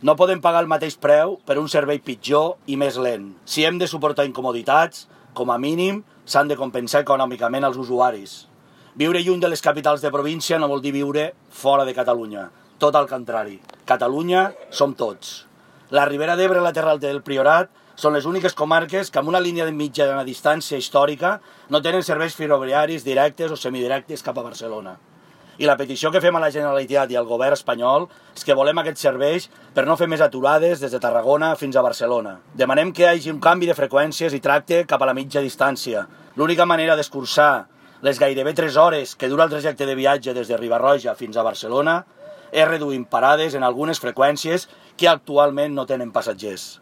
No podem pagar el mateix preu per un servei pitjor i més lent. Si hem de suportar incomoditats, com a mínim s'han de compensar econòmicament als usuaris. Viure lluny de les capitals de província no vol dir viure fora de Catalunya. Tot al contrari. Catalunya som tots. La Ribera d'Ebre i la Terra Alta del Priorat són les úniques comarques que amb una línia de mitjana distància històrica no tenen serveis ferroviaris directes o semidirectes cap a Barcelona. I la petició que fem a la Generalitat i al govern espanyol és que volem aquests serveis per no fer més aturades des de Tarragona fins a Barcelona. Demanem que hi hagi un canvi de freqüències i tracte cap a la mitja distància. L'única manera d'escurçar les gairebé 3 hores que dura el trajecte de viatge des de Riba-roja fins a Barcelona és reduint parades en algunes freqüències que actualment no tenen passatgers.